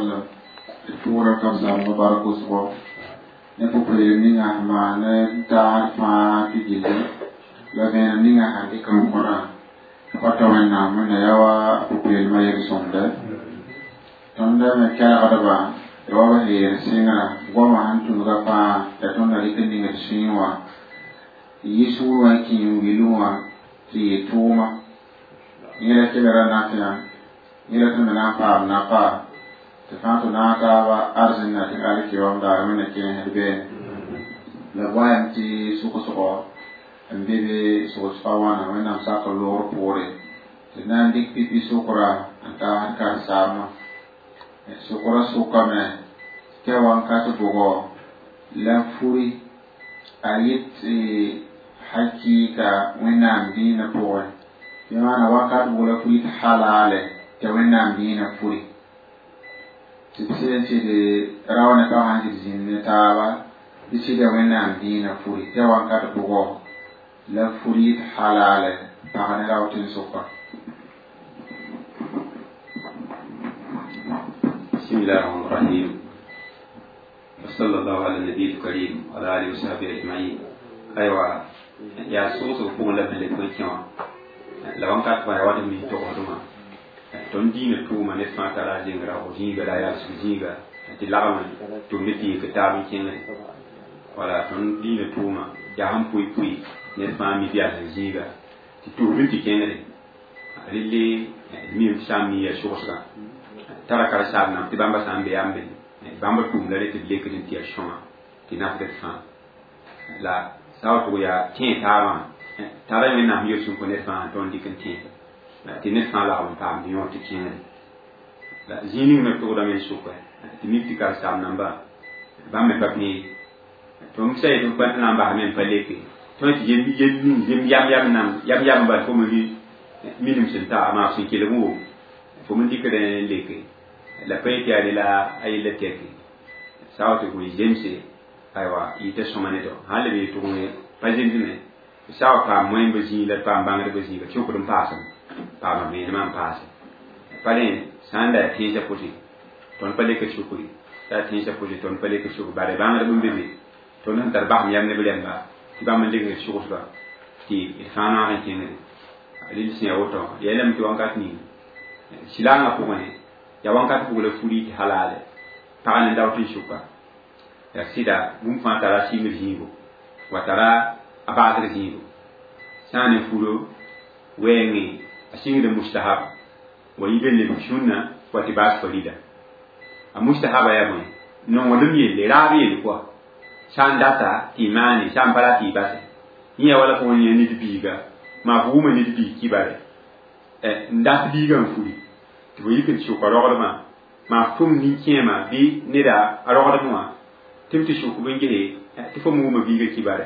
Wasallam pʋʋra kabzãmb bark wʋsgo ne pʋ-peelem ninga sẽn maan taasd fãa tɩ gilli la vẽenem ninga sẽn dɩk n kõrã pa tɩ Wẽnnaam wẽnna yaa wa pʋ-peelmã yel-sõmde tõnd me kelgdbã ya wa b sẽn yeel sɩngrã goamã sẽn tũnuga fãa ya tõnd na dɩk n ning d sũyẽ wã n yi sũur wã n kĩ n wilẽ wã tɩ yɩ tʋʋma yẽ la kelgra nafyã yẽ la tõnd me na n paam nafa tɩ fãa tɩ naag taaba arzẽnna tɩ alkiyoom daar wẽnna kẽesd beene la goayame tɩ sʋgsgɔ n be be sʋgsga wãna Wẽnnaam sak loogr poore tɩ na n dɩk pipi sʋkra n taasd karen-saambã sʋkra sʋkame tɩ a wãnkat bʋgɔ la furi a yet hakɩɩka Wẽnnaam dĩinã pʋgẽ tɩ maana wakat bʋg la furi tɩ halaale tɩ Wẽnnaam dĩinã furi tɩ b sẽn sɩd rao ne pag sẽn sɩd zĩnd ne taaba tɩ sɩda Wẽnnaam dĩinã furi tɩ a wãnkat bʋgɔ la furi tɩ halaale pag ne rao tẽn-sʋka. بسم الله الرحمن الرحيم وصلى الله على النبي الكريم وعلى آله وصحبه أجمعين. أيوة yaa sʋgsg pʋgẽ la b leb n kẽ wã la wãnkat fãa yaa wa d mis togsdmã tõnd diinã tʋʋma ned fãa tara a zengra f zĩiga la a yalsg zĩiga tɩ lagm tʋmd tɩ yik taab n kẽngre wala tõnd diinã tʋʋma yaa sẽn pʋɩ pʋɩ ned fãa mi yals zĩiga tɩ tʋsd tɩ kẽngre relle d mim tɩ sã n mi yaa sʋgsgã tara karen-saam nam tɩ bãmba sã n be yaa n be bãmba tʋʋm la re tɩ d lekd n tɩ yaa sõma tɩ nafd d fãa la sã wa tʋg yaa tẽe taabã tara Wẽnnaam yel-sũm kõ ned fãa tõnd dɩk n tẽe tɩ ned fãa lagm n paamd yõor tɩ kẽngre la zĩig ning me tʋgdame n sʋka tɩ mik tɩ karen-saam namba bãmb me pa pẽe tõnd sa yetɩ f na n basame n pa leke tõe tɩ yel ning zem yam yam nam yam yam bal fo me minim sẽn ta maa sẽn kelg n wom fo me dɩkd n leke la pa yetɩ yaa la a yella tɛke sã wa tɩ fo zemse aywa yɩta sõma ne dɔ sãn leb yetʋg pa zemsme sã wa paam moẽmba zĩig la d paam bãngdbã zĩiga sokd n paasem paama vẽenemã n paase pa rẽ sã n da yaa tẽnsã pʋsẽ tõnd pa lekd sukri t'a yaa tẽnsã pʋsẽ tõnd pa lekd sukr bare bãngdb n be be tõnd sẽn tar basem yam ne b rẽmba tɩ bãmb n lekd sugsba tɩ d fãa naag n kẽngre rel sẽn ya woto yaa lame tɩ wãnkat ning silaangã pʋgẽ yaa wãnkat pʋg la furi tɩ halaale pag ne daoot n sʋka yaa sɩda bũmb fãa tara a sɩngr zĩigo wa tara a baasg zĩigo sã n ne furo wɛɛngẽ a sɩngd mustahab wa yib n lebg sũnna wa tɩ baas farida a mustahaba yaa bõe nonglem yelle raab yelle kɔa sã n data tɩ y maane sã n pa ra tɩ y base yẽ yaa wala fo n yẽ ned biiga maa fo wʋma ned biig kibare n dat biigã n furi tɩ fo yik n sʋka rogdmã maa f tʋm nin-kẽema bɩ neda a rogdm wã tɩ b tɩ sʋk b n gese tɩ fo me wʋma biigã kibare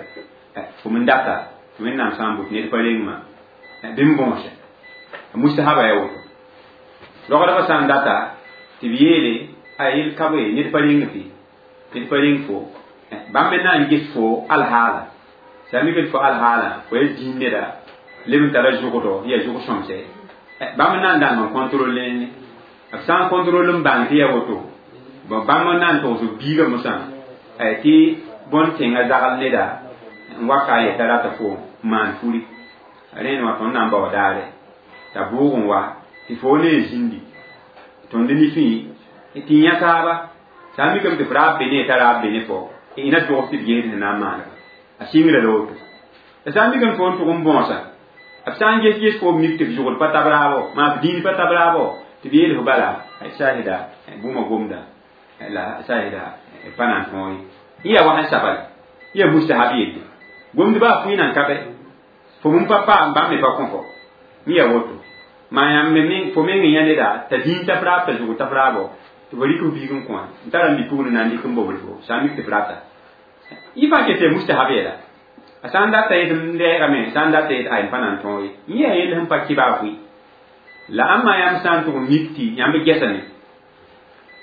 fo me n data tɩ Wẽnnaam sã n bot ned pa rengmã bɩ m bõose a mustahaba yaa woto rogdbã sã n data tɩ b yeele a yel ka bõe ned pa reng fɩ ned pa reng fo bãmb me na n ges fo alhaala sã n mikd fo alhaala fo yaa zĩig neda leb n tara zʋgdɔ yaa zʋg sõmse bãmb na n dãng n contrôle b sã n contrôle n bãng tɩ yaa woto bon bãmb n na n togs b biigã mosã tɩ bõn tẽngã zagl neda n wa ka a yeta rata fo maan furi rẽnd wã tõnd na n bao daare t'a bʋʋg n wa tɩ fo ne zĩndi tõnd nifẽ tɩ yã taaba sã n mikame tɩ f raab be ne t'a raab be ne fo ina togs tɩ b gesd sẽn na n maanega a sɩngra la woto la sã n mikame fo n tʋg n bõosa b sã n ges ges fo b mik tɩ f zʋgd pa tab raabo maa f dĩin pa tab raabo tɩ b yeel fo bala sahida bũmba gomda la sahida pa na n tõog ye yã wa sẽn sabale yã mustahab yelle gomdbã a pʋɩ nan ka bɛ fo mun pa paam bãmb me pa kõ fo yã woto maa yãmb me fo meng yã neda t'a dĩin t'a f raab t'a zʋg t'a f raabo tɩ fo rɩk f biig n kõ n tara n bi-pugd na n dɩk n bobl fo sã n mik tɩ f rata yɩ fãa ket tɩ mustahab yɛla a sã n data yetɩ m lɛɛgame sã n data yetɩ ay n pa na n tõog ye yẽ yaa yell sẽn pa kɩba a pʋɩ la ãmba yãmb sã n tʋg n mik tɩ yãmb gɛsame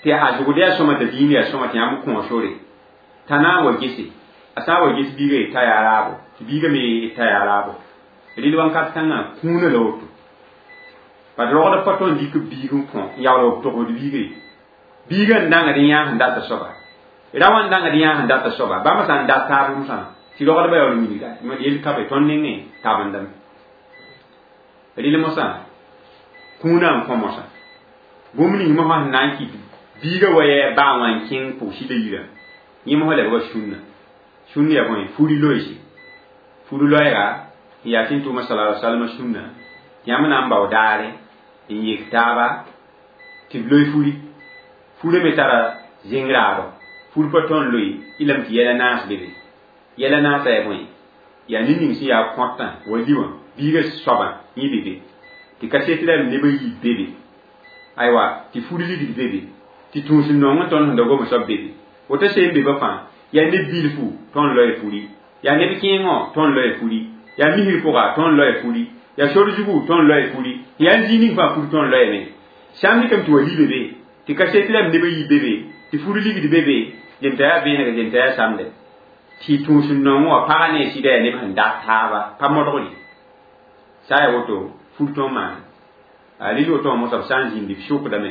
tɩ a zʋgd yaa sõma t'a dĩin yaa sõma tɩ yãmb kõ sore t'a na n wa gese a sã n wa ges biigã yetɩ t'a yaa raabo tɩ biigã me yetɩ t'a yaa raabo rel wãnkat kãngã kũunã la woto bad rogd pa tõnd dɩk b biig n kõ n yaool b togsd biiga ye Biiga n dãngd n yãas n data soaba ra wã n dãngd yãas n data soaba bãmb sã n dat taab mosã tɩ rogdbã yaool wilga yel ka be tõnd nengẽ tabendame rɩl mosã kũunã n kõ mosã bũmb ning mosã sẽn na n kɩt biiga wa yɛ baa wã n kẽng pʋgsida yirã yẽ mosã lebga sũnna sũnn yaa bõe furi loeese furi loɛɛga n yaa tɩ n tʋʋma sala alaihi wasallam sũnna yãmb na n bao daare n yek taaba tɩ b loe furi furi me tara zẽng raabo furi pa tõnd loe y lame tɩ yɛla naas bebe yɛla naasã yaa bõe yaa ned ning sẽn yaa kõtã wa li wã biiga soabã yẽ bebe tɩ kaset la neb a yiib bebe aywa tɩ furi ligd bebe tɩ tũus n nong n tõnd sẽn da gom soab bebe woto seen beba fãa yaa neb bilfu tõnd loe furi yaa neb kẽengõ tõnd loe furi yaa misr pʋga tõnd loe furi yaa sor zugu tõnd loe furi yaa n zĩig ning fãa furi tõnd loeeme sã n dɩkame tɩ wa li bebe tɩ kaset la neb a yiib bebe tɩ furi ligd bebe genta yaa vẽeneg genta yaa samde tɩ tũus n nong wã pagã ne sɩda yaa neb sẽn dat taaba pa modgre sã yaa woto fur tõnd maana a rɩl woto wã mosã b sã n zĩndi b sʋkdame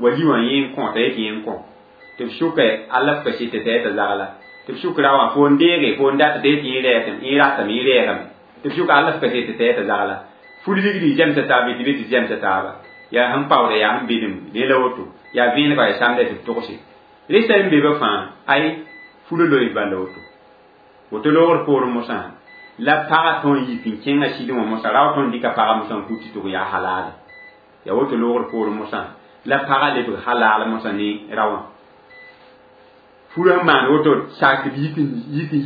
wa li wã yẽ n kõ t'a yet yẽ n kõ tɩ b sʋka alla f kasete t'a yeta zagla tɩ b sʋk ra wã fo n deege fo n dat t'a yet yẽ ratame yẽ rɛɛgame tɩ b sʋka alla f kasete t'a yeta zagla fur ligdi zɛmsa taaba tɩ be tɩ zɛmsa taaba yaa sẽn paoodã yaa sẽn bedem ne la woto yaa vẽenega yaa samda tɩ b togse resa n be ba fãa ay furo loe bala woto woto loogr poorẽ mosã la pagã tõn yik n kẽngã sɩdẽ wã mosã rao tõnd dɩka pagã mosã n kut tɩ tʋg yaa halaale yaa woto loogr poorẽ mosã la pagã lebg halaal mosã ne raowã furã n maan woto sak tɩ b yik n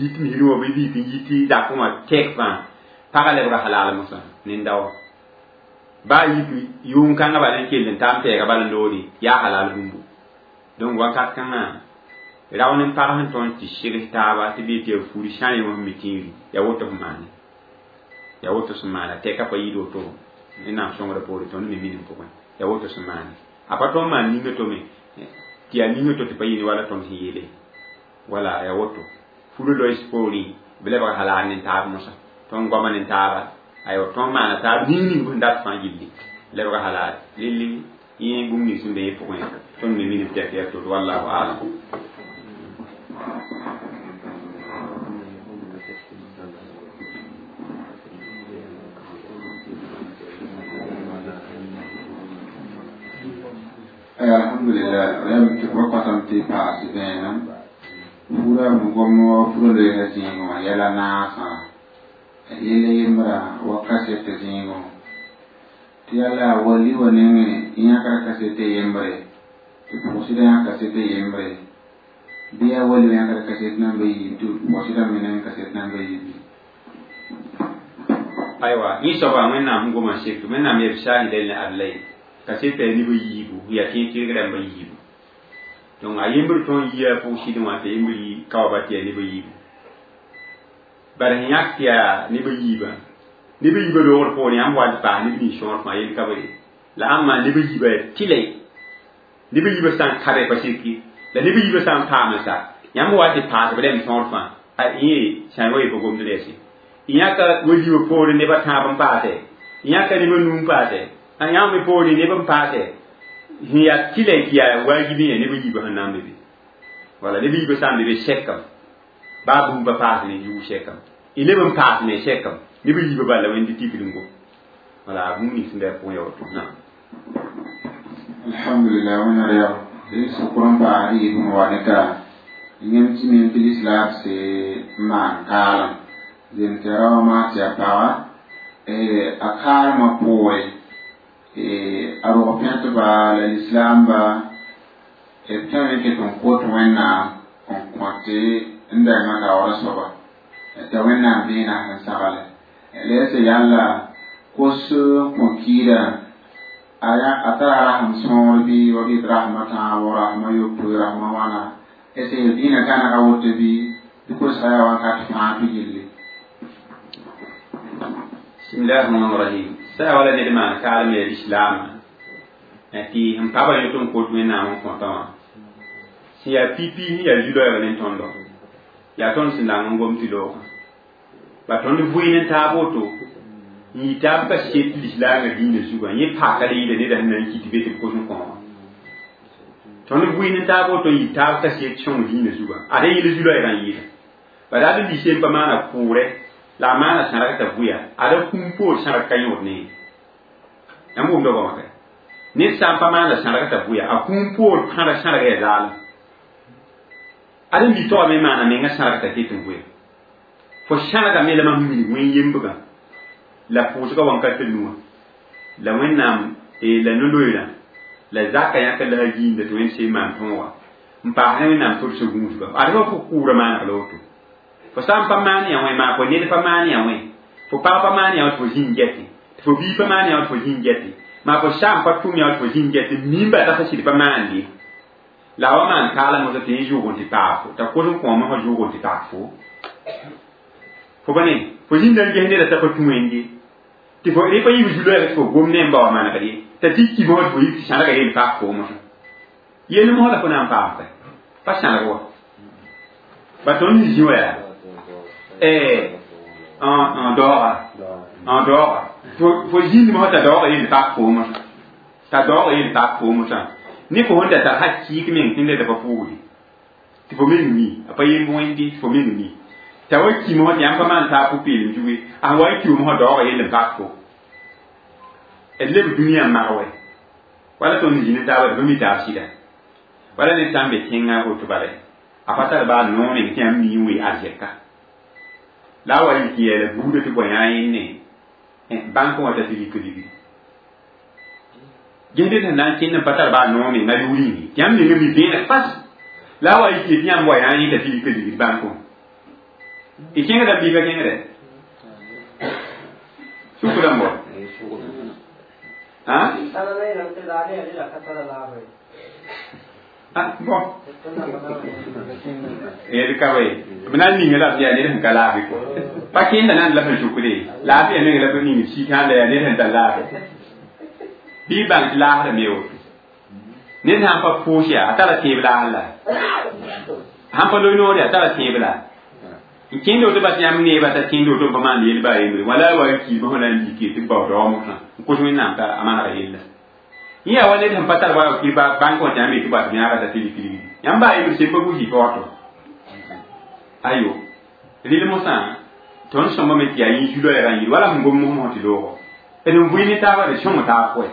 yit misrẽ wã bɩ b yik n yit zakẽ wã tɛk fãa pagã lebga halaal mosã nin-daoã baa yik yʋʋm-kãngã bala n kell n taam tɛɛga bala n loode yaa halaal bũmbu donc wakat kãngã rao ne pag sẽn tõnd tɩ segs taaba tɩ bɩ tɩ yaa furi sã n wã mi tĩiri yaa woto sẽn maane yaa woto sẽn maana tɛka pa yɩɩd woto Wẽnnaam sõngrã poore tõnd me minim pʋgẽ yaa woto sẽn maane a pa tõnd maan ninga tome tɩ yaa ninga to tɩ pa yɩɩne wala tõnd sẽn yeele wala yaa woto furi loees poorẽ b lebg halaal ne taab mosã tõnd goama ne taaba aywa tõnd maana taab ning ning sẽn dat fãa gilli lebg halaal lilli yẽ bũmb ning sẽn be yẽ pʋgẽ tõnd me minim tɛk yaa to wallahu alam. Alhamdulillah rẽm tɩ b patam tɩ paas vẽenem fura m gom wa fura loeesa zĩigẽ wã yɛla naasã yel yembra wa kasete zĩigẽ tɩ yala wa li wa nengẽ yãkra kasete yembre tɩ pʋgsda yã kasete yembre bɩ yaa wa li wã yãkra kaset nan ba yiib tɩ pʋgsda me neng kaset nan ba yiib. Aywa yẽ soaba Wẽnnaam sẽn goma sek tɩ Wẽnnaam yɛb saahida ne adla ye kaseta yaa neb a yiibu yaa tẽeg tɩrg rãmba yiibu donc a yembr tõnd yia pʋg-sɩdẽ wã t'a yembr yi kaoaba tɩ yaa neb a yiibu bara sẽn yãk tɩ yaa neb a yiibã neb a yiibã loogr poorẽ yãmb wa tɩ paas neb nins sõor fãa yel ka be la ãmb maan neb a yiibã yaa tɩlɛ neb a yiibã sã n kabe pa sirki la neb a yiibã sã n paam sa yãmb wa tɩ paas b rẽmb sõor fãa a yẽ sã n wa ye pa gomd rɛɛse yãka wa yiibã poorẽ neb a tãab n paase yãka neb a nuu n paase a yãmb me poorẽ neb n paase sẽn yaa tɩlɛ tɩ yaa waajib yã neb a yiibã sẽn na n be be wala neb a yiibã sã n be be sɛkame baa bũmb pa paas ne yʋʋg sɛkame y leb n paas ne sɛkame neb a yiibã bala wẽnd tikr n gom wala bũmb nins sẽn bɩ a pʋgẽ ya woto naam. Alhamdulillah wẽna rɛg d sʋkr n paas rɩɩb n wa ne ka yẽm tɩ mim tɩ lislaam se n maan kaalem zem tɩ ra wã maa tɩ yaa paga a kaalmã poore a rog pẽtba la lislaamba b tõeme ket n kot Wẽnnaam n kõte n dãmbã kaoora soaba t'a Wẽnnaam vẽenã sẽn sagle la yaa sẽn yalla kos n kõ kiidã a tara rasem sõor bɩ wa bɩ d rasmã tãabo rasmã yopoe rasmã wãna sẽn yel dĩinã gãnega woto bɩ tɩ kosga yaa wakat fãa tɩ gilli. Bismillahi rahmani rahim sã yaa wala ned maan kaalem yaa lislaamã tɩ sẽn paba yõ tɩ n kot Wẽnnaam n kõtã wã sẽn yaa pipi sẽn yaa zu-loɛɛg ne tõndo yaa tõnd sẽn lang n gom tɩ loogã ba tõnd vʋɩ ne taab woto n yɩ taab ka set lislaangã dĩinã zugã yẽ paka la yɩɩda neda sẽn na n kɩt be tɩ b kos n kõ wã Tõnd vʋɩ ne taab woto n yɩ taab kaset sõng dĩinã zugã ad yɩl zu-loɛɛgã n yɩɩda bala ad n sem pa maana kʋʋrɛ la a maana sãrg t'a vʋya ad a kũum poor sãrg ka yõod ne yãmb wʋmda goamã ka ned sã n pa maana sãrg t'a vʋya a kũum poor pãrg sãrg yaa zaalem ad n bi togame maana menga sãrg t'a ket n vʋya fo sãrgame la mam minig wẽn yembgã la pʋʋsgã wãnkat nuwã la wẽnnaam la no-loeerã la zaka yãk la a gĩinda tɩ wẽnd seen maan tõoga n paas ne wẽnnaam tʋrs gũusga ad fa fo kʋʋra maaneg la woto fo sã n pa maan yã wẽ maa fo ned pa maan yã wẽ fo pag pa maan yã wã tɩ fo zĩnd gɛtɩ tɩ fo bii pa maan yã wã tɩ fo zĩnd gɛtɩ maa fo saam pa tʋm yã wã tɩ fo zĩnd gɛtɩ miimba t'a fa sɩd pa maande la a wa maan kaalã mosã tɩ yẽ zʋʋg n tɩ paag fo t'a kos n kõ mosã zʋʋg n tɩ paag fo fo pa ne fo zĩnda n ges neda t'a pa tũ wẽnde tɩ fo rẽ pa yib zu-loɛɛg tɩ fo gom ne n ba wa manegd ye t'a tɩ ki mosã tɩ fo yib tɩ sãrga yel paag fo mosã yel mosã la fo na n paam pa sãrg wa ba tõnd zĩ wa yaa n daooga n daooga fo zĩnd mosã t'a daooga yel paag fo mosã t'a daooga yel paag fo mosã ne fo sẽn da tar ha kɩɩk meng tɩ neda pa pʋʋgde tɩ fo meng mi a pa yemb wẽnde tɩ fo meng mi t'a wa ki mosã tɩ yãmb pa maan taab pʋ-peelem zuge a sẽn wa n ki mosã daooga yel n paag fo d leb dũniyã mag wɛ wala tõnd zĩ ne taaba tɩ pa mi taab sɩda wala ned sã n be tẽngã woto bala a pa tar baa noog meng tɩ yãmb mi n wee arzɛka la a wa yik n yeela buudã tɩ bõe yã yẽnne bãnk wã t'a tɩ rik ligri ges ned sẽn na n kẽnd n pa tar baa noog meng a yʋʋr yĩngi tɩ yãmb menga mi vẽeneg pas la a wa yik tɩ yãmb wa yã yẽ t'a tɩ rik ligri bãnk wã y kẽngdame bɩ pa kẽngdɛ sʋk rãmb wa ah bon yel ka we b na n ninga la yaa ned sẽn ka laafɩ kɔ pa kẽnda na n la sẽn sʋkde laafɩ meng la b ning sɩkã la yaa ned sẽn tar laafɩ bɩ bãng tɩ laasda me woto ned sãn pa pʋʋs yaa a tara tẽeb laas la sãn pa loe noor yaa a tara tẽeb la n kẽnd woto bas yãmb neeba t'a kẽnd woto n pa maan yel baa yembre wala wa n kiime fõ na n yike tɩ bao daoog mosã n kos wẽnnaam t'a a manega yella yẽ yaa wa ned sẽn pa tar wa kɩ bãnk wã tɩ yãmb yetɩ bas yãaga t'a tɩ rik ligdi yãmb baa yembre sem pa busi pa wato ayo rɩl mosã tõnd sõmbame tɩ yaa yẽ zu-loɛɛgã n yɩl wala sẽn gom mos mosã tɩ loogo d n vʋɩ ne taaba d sõng taab pʋɛ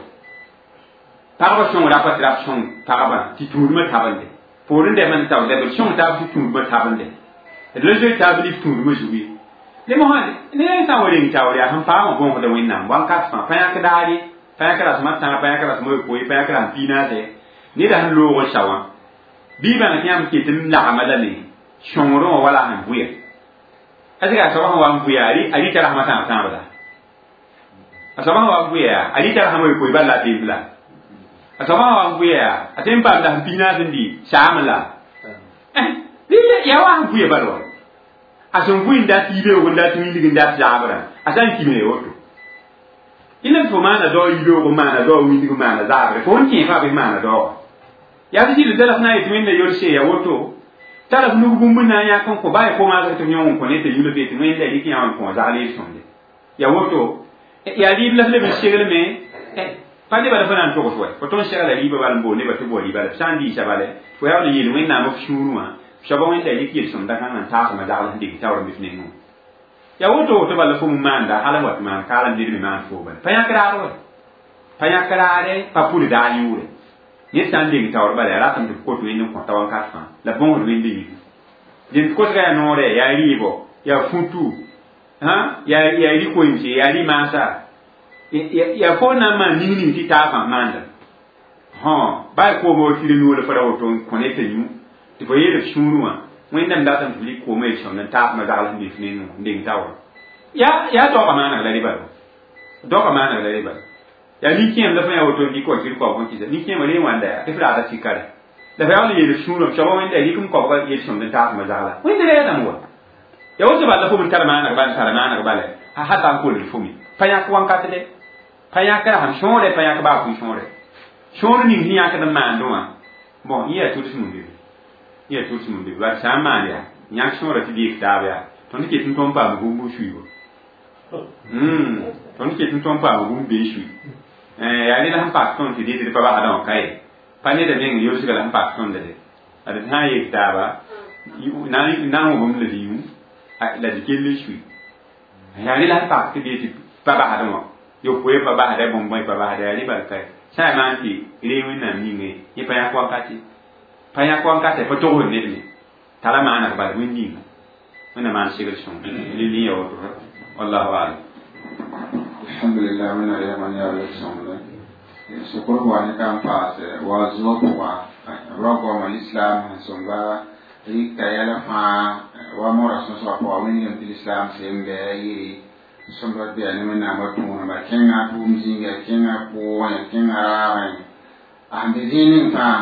pagba sõngra pa tɩ rab sõng pagba tɩ tũudmã tabende poorẽ dɛm n taoor d sõng taab tɩ tũudmã tabende d la zoe taab lif tũudmã zugu ye ne mosã ne sã n wa reng taoor yaa sẽn paamã bõosda wẽnnaam wãnkat fãa pa yãk daare pa yãk rasmã tãag pa yãk rasmã yopoe pa yãk rasm piinaase neda sẽn loog n sa wã bɩ bãng tɩ yãmb ket n lagma lame sõngrẽ wã wala sẽn vʋya a sɩka a soaba sẽn wa n vʋya a rɩta rasmã tãag tãab la a soaba sẽn wa n vʋya yaa a rɩta rasmã yopoe bal la a temp la a soaba sẽn wa n vʋya yaa a tõe n paam dasm piinaas n dɩ saam la yaa wa sẽn vʋya bal wa a sẽn vʋɩ n dat yibeoog n dat wilg n dat zaabrã a sã n kime woto ina fo maana dao yibeoog n maana dao wilg n maana zaabre fo n kẽ fãa bɩ maana daooga yaa tɩ sɩd tara f na n yetɩ wẽnda yol-se ya woto tara f nug bũmb na n yãk n kõ baa y komaasg tɩ f yõng n kõ ne tɩ yʋl tɩ wẽnda rɩk yã wã n kõ zagl yel-sõmde ya woto yaa rɩɩb la f leb n seglme pa nebã la fo na n togs wɛ fo tõnd segla rɩɩbã bal n bool nebã tɩ bao rɩɩba la f sã n diisa bale fo yaa n yeel wẽnnaam f sũur wã soaba wẽnda rɩk yel-sõmda kãngã n taasmã zagl sẽn dɩk taoor n bɩ f nengẽ wã ya woto woto bala fo maanda hal n wat maan kaalem ned me maan fo bala pa yãk raar wɛ pa yãk raare pa pʋd daa yʋʋre ned sã n deng taoor bala yaa ratame tɩ f kot wẽnd n kõta wãnkat fãa la bõosd wẽnde yĩng dẽnd kosga yaa noorɛ yaa rɩɩbɔ yaa futu yaa rɩ-koeemse yaa rɩ-maasa yaa fo na n maan ning ning tɩ taab fãa maanda baa y kooma wa tɩ noor la fo ra woto n kõ ne t'a yũ tɩ fo yeel f sũurẽ wã wẽnnaam datame tɩ f rɩk koomã yel-sõmd n taasmã zagl sẽn be f nengẽ n deng taoor yaa daoogã maaneg la rɩ bala daoogã maaneg la rɩ bala yaa nin-kẽem la fo yã woto n dɩk wa kɩr koabg n kɩsa nin-kẽemã re wãnda yaa tɩ f raada sɩkare la fo yaa n yeel sũurã soaba wẽnda rɩk n koabga yel-sõmd n taasmã zagla wẽnda ra yaa dãmb wa ya woto bala fo m tar maaneg bal n tara maaneg bala a hata n kolg fo me pa yãk wãnkat dɛ pa yãk rasem sõore pa yãk baa pʋɩ sõore sõor ning sẽn yãkd n maandẽ wã bon yẽ yaa tuds mum be yẽ yaa tuds mum be bala sã n maan yaa yãk sõora tɩ deeg taab yaa tõnd ket n tõnd paam bũmb n suiibo tõnd ket n tõnd paam bũmb bee sui yaa rẽla sẽn pak tõnd tɩ dɩtd pa basdã wã ka ye Pa neda meng yolsga la sẽn pak tõnda de ad sã n yeel taaba na n wʋbem la yũ la d kell n sui yaa rɩ la sẽn pak tɩ b yetɩ pa basdẽ wã yopoe pa basda bõn-bõe pa basda yaa rɩ bal ka sã n maan tɩ ree wẽnnaam yĩnge yẽ pa yãk wankate pa yãk wankate pa togsd ned me tara maaneg bal wẽnd yĩnga wẽnna maan segl sõng lili ya woto wallahu alam. Alhamdulillah, wẽnna reegã yaa yel-sõmde sokr wa ne kan paase wa zuo pʋga ra goama l'islam sẽn sõmba rɩka yɛla fãa wa mora sõsgã pʋga wẽngame tɩ l'islam sem bɩ a yɩ sõmba bɩa ne wẽnnaamã tũudba kẽngã tʋʋm zĩnga kẽngã pʋʋgẽ kẽngã raagẽ a sẽn be zĩig ning fãa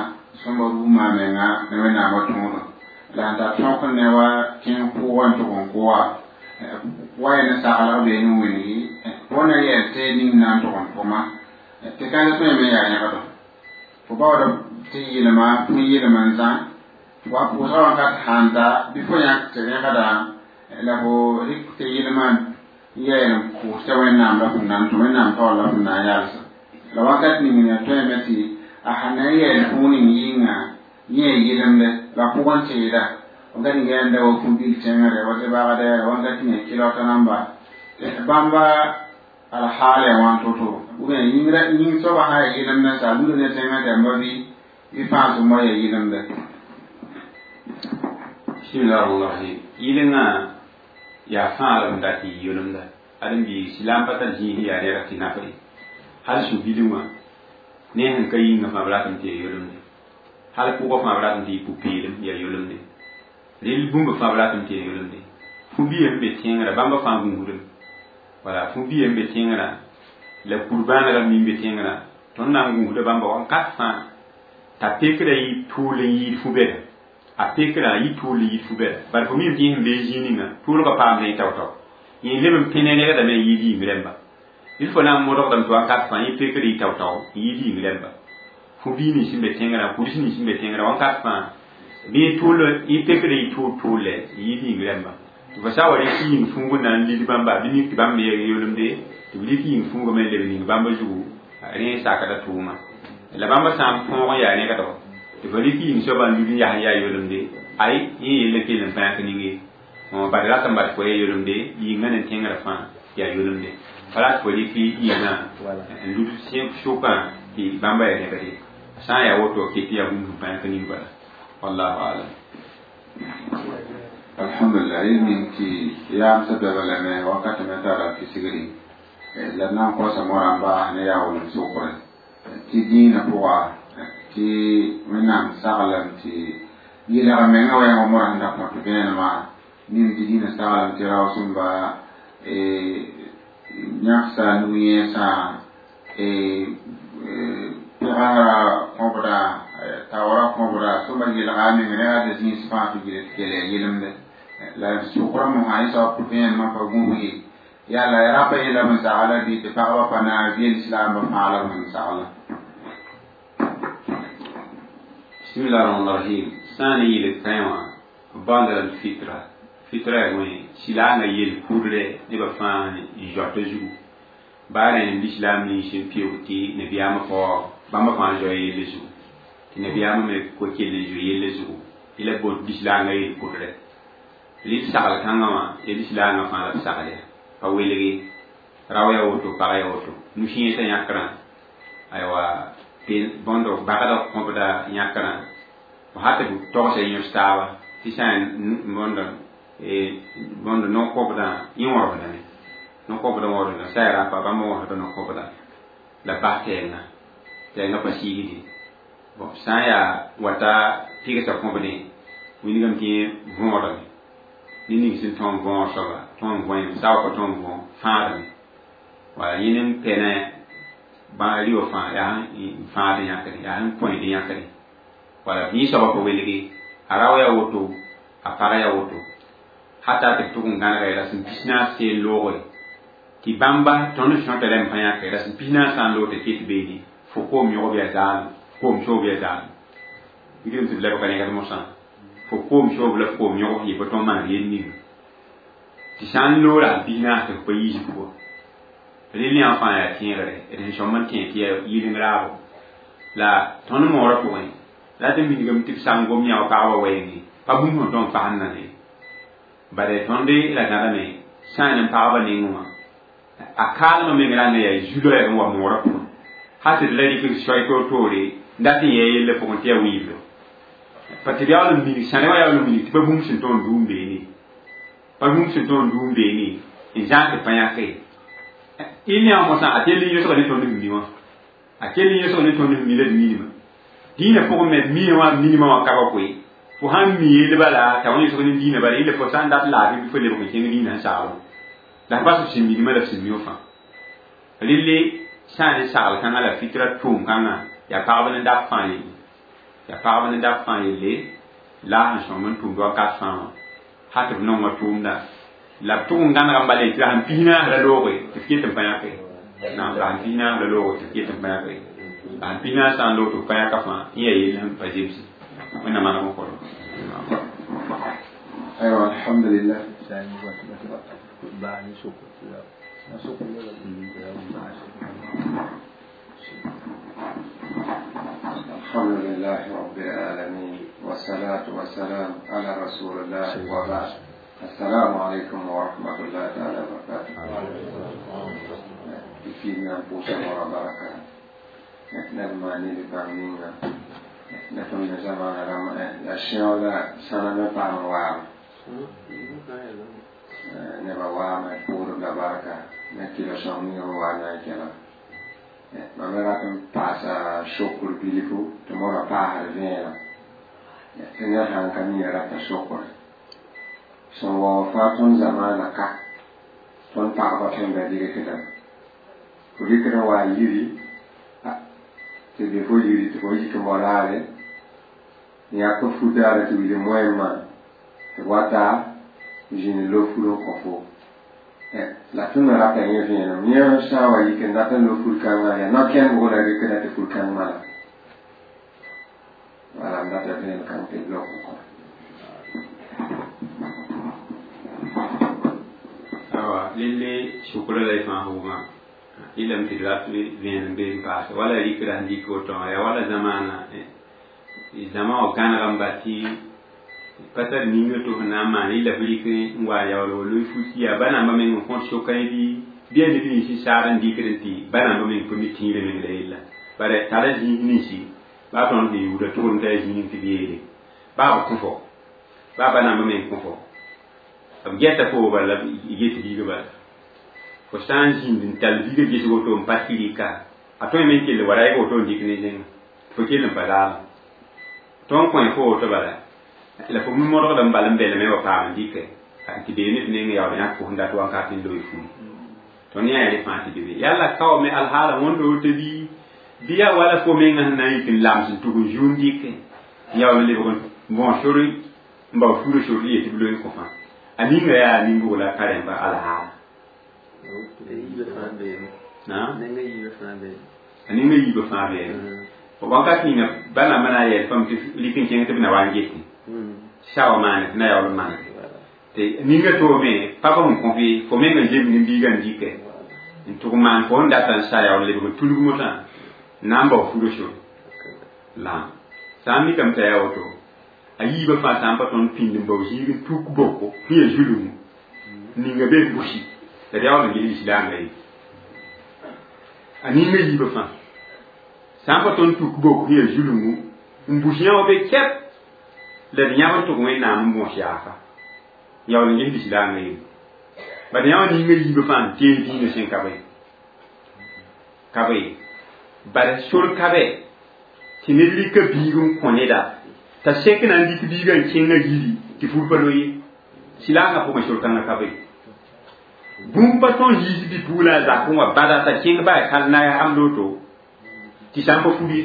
sõmba rũumã menga ne wẽnnaamã tũudum la sẽn tar tõk ne wa kẽng pʋʋgẽ tʋg n kʋa wa yẽ ne saglg bee ne wĩngi fo na yɛl tɩ ning na n tʋg n pʋma tɩ ka tõe me yaa yẽgdo fo baood tɩ yɩlma fo yɩlm n zã wa pʋʋsga wãnkat sãn ta bɩ fo yãk tɩ rẽgda la fo rɩk tɩ yɩlmã n yɛɛl n pʋʋsta wẽnnaam la fõn na n tũ wẽnnaam taoor la fõn na n yalsa la wakat ning ya tõeme tɩ a sãn na n yɛɛl fũu ning yɩnga yẽ yɩlemde la pʋgẽ teeda wakat ning yaa n da wa fu-bil tẽngre wa tɩ bagdɛ wakat ning ya kilɔta namba bãmba alhaala wã to-to ou bien yĩngra yĩng soaba sã ya yɩlemdẽ sa lud ne tẽngã tɩ bɩ bɩ fãa sõma ya yɩlemdẽ. Bismillah rahman rahim. Yɩlenga yaa fãa la b dat yɩ yolemda ãdem-biig silaam pa tar zĩis yaa rɛɛg tɩ naf ye hal su-bilg wã ne sẽn ka yĩngã fãa b ratame tɩ ya yolemde hal pʋgã fãa b ratame tɩ yɩ pʋ-peelem yaa yolemde rel bũmba fãa b ratame tɩ ya yolemde fu-biya sẽn be tẽngrã bãmba fãa gũusdem wala fu-biya sẽn be tẽngrã la kur-bãanegã mi n be tẽngrã tõnd na n gũusda bãmba wakat fãa t'a pekra yɩ tʋʋl n yɩɩd fu-bɛda a pekra yɩ tʋʋl n yɩɩd fu-bɛda bala fo mim tɩ yẽ sẽn bee zĩig ninga tʋʋlgã paamdẽ yẽ tao-tao yẽ leb n pẽ ne rẽgdame n yɩɩd yĩng rẽmba il fo na n modgdame tɩ wakat fãa yẽ pekra yɩ tao-tao n yɩɩd yĩng rẽmba fu-bii nins sẽn be tẽngrã kuds nins sẽn be tẽngrã wakat fãa bɩ yẽ tʋʋl yẽ pekra yɩ tʋʋl tʋʋlɛ n yɩɩd yĩng rẽmba tɩ fo sã wa rɩk yĩng fũug n na n lid bãmba bɩ mik tɩ bãmb me yolemde tɩ b rɩk yĩng fũugame n leb ning bãmba zugu rẽ sakda tʋʋma la bãmba sã n põog n yaa rẽgdgo tɩ fo rɩk yĩng soaba n lud n yas n yaa yolemde ay yẽ yella kell n pãak ninge bad rat n bad fo ya yolemde yĩngã ne tẽngrã fãa yaa yolemde pa rat fo rɩk yĩngã n lud sʋkã tɩ bãmba ya rẽgde sã n yaa woto ket yaa bũmb sẽn pãak ning bala wallahu alam. Alhamdulillah, yel ning tɩ yaam sã bɛba lame wakat me tara kisgri la d na n kosa morã n baas ne yaa wolem sʋkre tɩ dĩinã pʋga tɩ wẽnnaam saglem tɩ yɩlg menga wɛɛngã morã sẽn da kõt vẽenemã nim tɩ dĩinã saglem tɩ raoosẽmba yãksa nu-yẽesã pʋgasra kõbda taoora kõbda sõma yelga a meng rẽga tɩ zĩis fãa tɩ gil tɩ kell ya yɩlemde la sʋkrã mosã yẽ soab vẽenemã pa gũus ye yaa la rapa yela b n sagla bɩ tɩ pagba pa naag bɩ lislaambã fãa la b sẽn sagla. Bismillah rahman rahim. Sã n ne yɩl kãe wã b baoonda la fitra fitra yaa wẽ silaangã yel kudrɛ nebã fãa n zoata zugu baa rẽ lislaam nins n pɩʋg tɩ nabiyaamã fao bãmba fãa zoa yelle zugu tɩ nabiyaamã me ko kell n zoe yelle zugu tɩ la bot lislaangã yel kudrɛ rɩl sagl kãngã wã ya lislaangã fãa la b sagl ya pa welge rao ya woto pag ya woto nu-sẽesã yãkrã aywa bõndo bagda kõbda yãkrã fo ha tɩ b togsa yẽs taaba tɩ sã n bõndo bõndo no-kõbdã yẽ wõremdame no-kõbdã wõremda sã ya rapa bãmb wõsda no-kõbda la bas tɛɛngã tɛɛngã pa siigde bon sã n yaa wata pɩgsa kõbdẽ wilgame tɩ yẽ võodame ne ning sẽn tõog võor soaba tõog võem sa wa pa tõog võ fãadame wala yẽ n pɛnɛ bã rɩwa fãa yaa n fãad yãkre yaa sẽn kõed yãkre wala yẽ soaba pa welge a rao ya woto a pag ya woto hata tɩ b tʋg n gãnega rasem pisnaas seel loogre tɩ bãmba tõnd sõta rãmb fã yãke rasem pisnaas sã n loog tɩ ket beene fo koom yõgb yaa zaalem koom soob yaa zaalem wilgame tɩ b lebga rẽgd mosã fo koom soob la fo koom yõg yɩ pa tõnd maan yel ninga tɩ sã n loora pisnaas tɩ f pa yiis pʋga rel yã fãa yaa tẽegre d sẽn sõm n tẽ tɩ yaa yɩleng raabo La tõnd moorã pʋgẽ la tɩ minigame tɩ b sã n gom yã wa pagba wɛɛngẽ pa bũmb sẽn tõnd fasẽnda ne bare tõnd la gãdame sã n pagba nengẽ wã a kaalmã meng rãnga yaa zu-loɛɛg n wa moorã pʋgẽ hal tɩ d la rɩk soay toor-toore n dat n yɛɛ yella pʋgẽ tɩ yaa wiibdo pa tɩ d yaool n minig sãne wã yaool n minig tɩ pa bũmb sẽn tõnd duum beene pa bũmb sẽn tõnd duum beene n zãag tɩ pa yãke il yã mosã a kell n yõsga ne tõnd sẽn mi wã a kell n yõsg ne tõnd sẽn mi la d minimã dĩinã pʋgẽ me miẽ wã minimã wã ka ba koe fo sãn mi yell bala t'a wã yõsg ne dĩinã bala yella fo sã n dat laafɩ bɩ fo lebg n kẽng dĩinã n saglẽ la f bas f sẽn minimã la f sẽn mi wã fãa relle sã n ne sagl kãngã la fitra tʋʋm kãngã yaa pagb ne dab fãa yelle yaa pagb ne dab fãa yelle la sẽn sõm n tʋmd wakat fãa wã hal tɩ b nonga tʋʋmda la b tʋg n gãneg n bala tɩ la sẽn pis naas la looge tɩ f ket n pa yãke naam la sẽn pis naas la looge tɩ f ket n pa yãke la sẽn pis naas sã n loog tɩ f pa yãka fãa n yaa yell sẽn pa zemse wẽnnaam maneg n kõ aywa alhamdulillah. الحمد لله رب العالمين والصلاة والسلام على رسول الله وبعد. السلام عليكم ورحمة الله تعالى وبركاته. فينا بوسة وبركة نبما نلبا نتم زمان رمى الأشياء لا سنة بعمر neba waame puudb la barka ne kɩla sõng ninga b wa na n kẽna mam me rat n paasa sokr bilfu tɩ modã paasd vẽenem tɩ ned sãn ka mi rata sokre sẽn waoog fãa tõnd zamaana ka tõnd pagba tõnd da dɩgkdame fo dɩkd n wa yiri tɩ be fo yiri tɩ fo yik n bao daare n yãk f fu daare tɩ wilg moɛɛmã tɩ b wata zĩnd lo fur n kõ fo la tõnd me rata yẽ vẽenem yẽ sã n wa yik n dat n lo fur kãngã yaa no-kẽndgo la rɩkda tɩ fur kãng mala wala n data vẽen kãng tɩ b lok n kõ. Awa lelle sʋkra la y fãa wʋgã yelame tɩ d rat vẽenem be n paase wala rɩkra sẽn dɩk woto wã yaa wala zamaana zãma wã gãneg n ba tɩ pa tar ninga tɩ f na n maan yella f rɩk n wa yaool wa loe fut yaa ba-nambã meng n kõt soka yẽ bɩ yaa neb ninsi saad n dɩkd n tɩ ba-nambã meng pa mi tĩirã meng la yella bare tara zĩig ninsi baa tõnd sẽn yuuda tʋgd t'a yaa zĩig tɩ b yeele baa b kõ fo baa ba-nambã meng kõ fo b gɛta fo bala la b get biiga bala fo sã n zĩnd n tall biiga ges woto n pa tɩ rɩka a tõe me n kell wa ra woto n dɩk ne zẽnga fo kell n pa zaala tõnd kõ fo woto bala la fo modgd n bal n belme wa paam n dɩkɛ tɩ bee ne f neng yaool yãk fo sẽn dat wakat n loe furi tõnd yã yaa fãa tɩ be be yalla kao me alhaala wõnd woto bɩ yaa wala fo menga sẽn na n yik n lams n tʋg n zu n dɩkɛ n yaool n lebg n bõos sor n bao furã sor yetɩ b loe n kõ fãa a ninga yaa ninbʋg la ka rẽmba alhaala a ninga yiibã fãa beeme wakat ninga ba-nambã na n yɛl fam tɩ lik n kẽng tɩ b na wa n getẽ sawa maane tɩ na yaool n maneg tɩ ninga toome pa b sẽn kõ fɩ fo meng n zemd n biigã n dɩkɛ n tʋg n maan fo sẽn data n sa yaool lebg n tulg motã n na n bao furã sor la sã n mikame t'a yaa woto a yiibã fãa sã n pa tõnd pĩnd n bao zĩig n tuk boko sẽn yaa zulungu ninga be busi la d yaool n ges lislaambã ye a ninga yiibã fãa sã n pa tõnd tuk boko sẽn yaa zulungu n bus yã wã be kɛp la d yãb n tʋg wẽnnaam n bõos yaafa yaool n ges lislaambã ye bad yã wã ninga yiibã fãa n tee dĩinã sẽn ka be ka be bad sor ka be tɩ ned rɩka biig n kõ neda t'a sek na n dɩk biigã n kẽngã yiri tɩ fur pa lo ye silaangã pʋgẽ sor kãngã ka be bũmb pa tõn yiis bi-puglã a zak n wa bada t'a kẽng baa kal na am loto tɩ sã n pa fur ye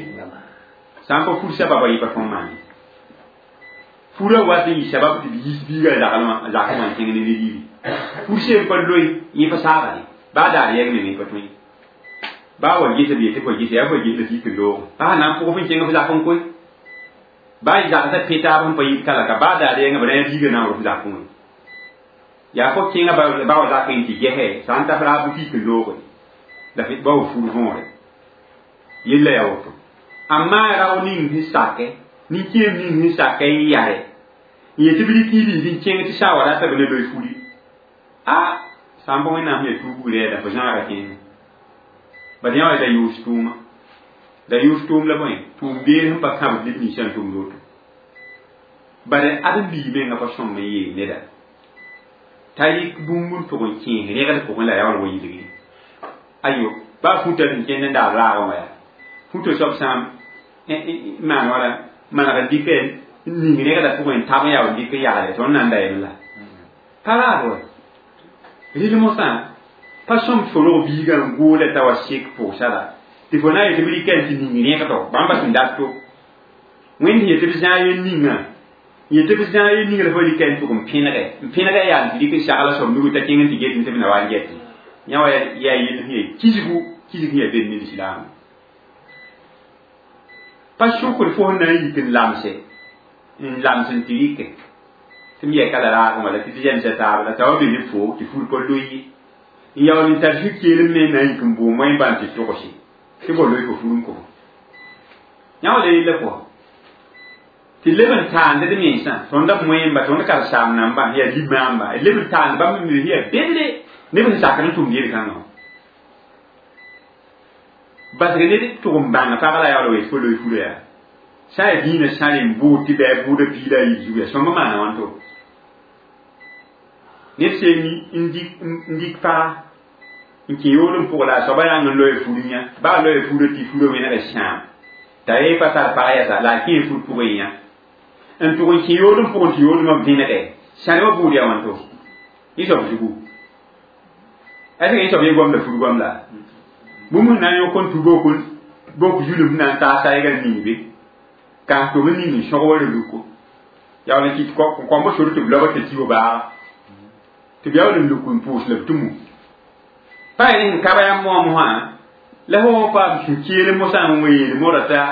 sã n pa fur sababa yɩ pa tõn maan ye furã wat n yɩ sabab tɩ b yiis biigã a zakẽ wã n kẽng ne ned yiri fur seen pa loe yẽ pa saaga ye baa daar yɛg meng yẽ pa tõe baa wa gesa b yetɩ fo gesa yaa fo ges la tɩ yik n loog baa na n pʋg f n kẽng f zak n koe baa zagsã pẽ taab sẽn pa yit kalaka baa daar yɛngã b rã biigã na n rʋf zakẽ wã yaa fo kẽngã ba wa zakẽ tɩ gɛsɛ sã n ta f raab tɩ yik n looge la ba wa fur võore yella yaa woto Amma rao ning sẽn sake nin-kẽem ning sẽn sake n yare n yet tɩ b rɩk y biig n kẽng tɩ sã wa rata b ne loe furi a sã n pa wẽnnaam sẽn yaa tuubg rɛɛda fo zãaga kẽene bad yã wa da yʋʋs tʋʋma da yʋʋs tʋʋm la bõe tʋʋm beer sẽn pa kãbd neb ninsã n tʋmd woto bad ãdem-biig menga pa sõm n yeel neda t'a rɩk bũmb n tʋg n kẽes rẽgd pʋgẽ la yaool wa yilgi ayo baa futa sẽn kẽnd n daab raagã wã yaa futa soab sã n maan wala maneg n dɩk ning rẽgda pʋgẽ n tab n yaool dɩk n yagle tõnd na n da yem la pa raad wa rɩl mosã pa sõm tɩ fo rog biigã n gooda t'a wa sek pʋgsa la tɩ fo na n yetɩ b rɩka n tɩ ning rẽgdo bãmba sẽn dato wẽnd sẽn yetɩ b zãag yen ninga yetɩ b zãag yen ninga la fo rɩka n tʋg n pẽnegɛ n pẽnegɛ yaa n tɩ rɩk n sagla soab nugu t'a kẽng n tɩ get n tɩ b na wa n gɛtɩ yã wa yaa yell sẽn yaa kisgu kisg sẽn yaa bed ne lislaam pa sʋkd fo sẽn na n yik n lamse n lams n tɩ rɩke tɩ m yɛka la raagẽ wala tɩ tɩ zẽmsa taab la t'a wa be ne fo tɩ fur pa loe ye n yaool n tar zu-keelem me na n yik n boom wẽn bãn tɩ togse tɩ bo loe fo fur n kõ yã wa la yella pʋga tɩ leb n taand d mensã tõnd b moẽmba tõnd karen-saam nambã yaa limaamba leb n taand bãmb me yaa bedre neb sẽn sakd n tʋmd yel-kãngã basg ned tʋg n bãng pag la yaool wee fo loe fura yaa sã yaa dĩinã sã rẽ n bʋʋd tɩ bɩ a bʋʋda piig la a yiib zugu yaa sõmb maana wãnto ned seen n dɩk paga n kẽ yood n pʋg la a soaba yãng n loe fur yã baa loe fura tɩ fura wẽneg sãam t'a yee pa tar pag yɛsa la a kẽ fur pʋgẽ yã n tʋg n kẽ yood n pʋgẽ tɩ yoodmã vẽnege sãne wã buud yaa wãnto yẽ soab zugu est-ce que yẽ soab yẽ goam la fur goam la bũmb sẽn na n yõk n tu bok zulum na n taas a yɛgr ning be ka tʋm n ning n sõg wa reluko yaool n kɩt kõmb sor tɩ b lob tɩ ti baaga tɩ b yaool n luk n pʋʋs la b tʋmo pa yaa sẽn kaba yãmb moam wã la fo paam sũ-keel mosã n wa yeel modã t'a